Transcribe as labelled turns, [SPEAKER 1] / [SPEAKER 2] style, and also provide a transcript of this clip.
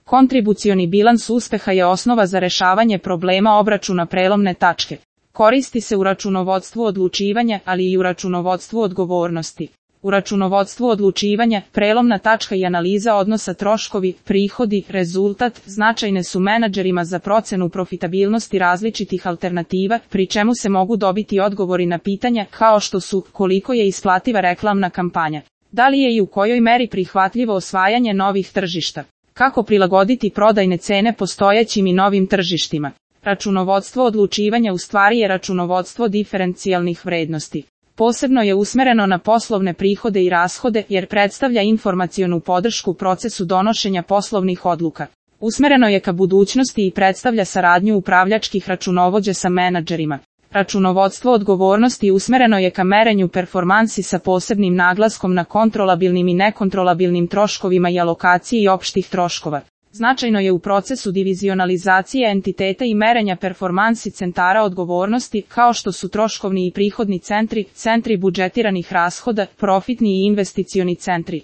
[SPEAKER 1] Kontribucioni bilans uspeha je osnova za rešavanje problema obračuna prelomne tačke. Koristi se u računovodstvu odlučivanja, ali i u računovodstvu odgovornosti. U računovodstvu odlučivanja, prelomna tačka i analiza odnosa troškovi, prihodi, rezultat, značajne su menadžerima za procenu profitabilnosti različitih alternativa, pri čemu se mogu dobiti odgovori na pitanja kao što su koliko je isplativa reklamna kampanja, da li je i u kojoj meri prihvatljivo osvajanje novih tržišta, kako prilagoditi prodajne cene postojećim i novim tržištima. Računovodstvo odlučivanja u stvari je računovodstvo diferencijalnih vrednosti. Posebno je usmereno na poslovne prihode i rashode jer predstavlja informacionu podršku procesu donošenja poslovnih odluka. Usmereno je ka budućnosti i predstavlja saradnju upravljačkih računovođa sa menadžerima. Računovodstvo odgovornosti usmereno je ka merenju performansi sa posebnim naglaskom na kontrolabilnim i nekontrolabilnim troškovima i alokaciji opštih troškova. Značajno je u procesu divizionalizacije entiteta i merenja performansi centara odgovornosti, kao što su troškovni i prihodni centri, centri budžetiranih rashoda, profitni i investicioni centri.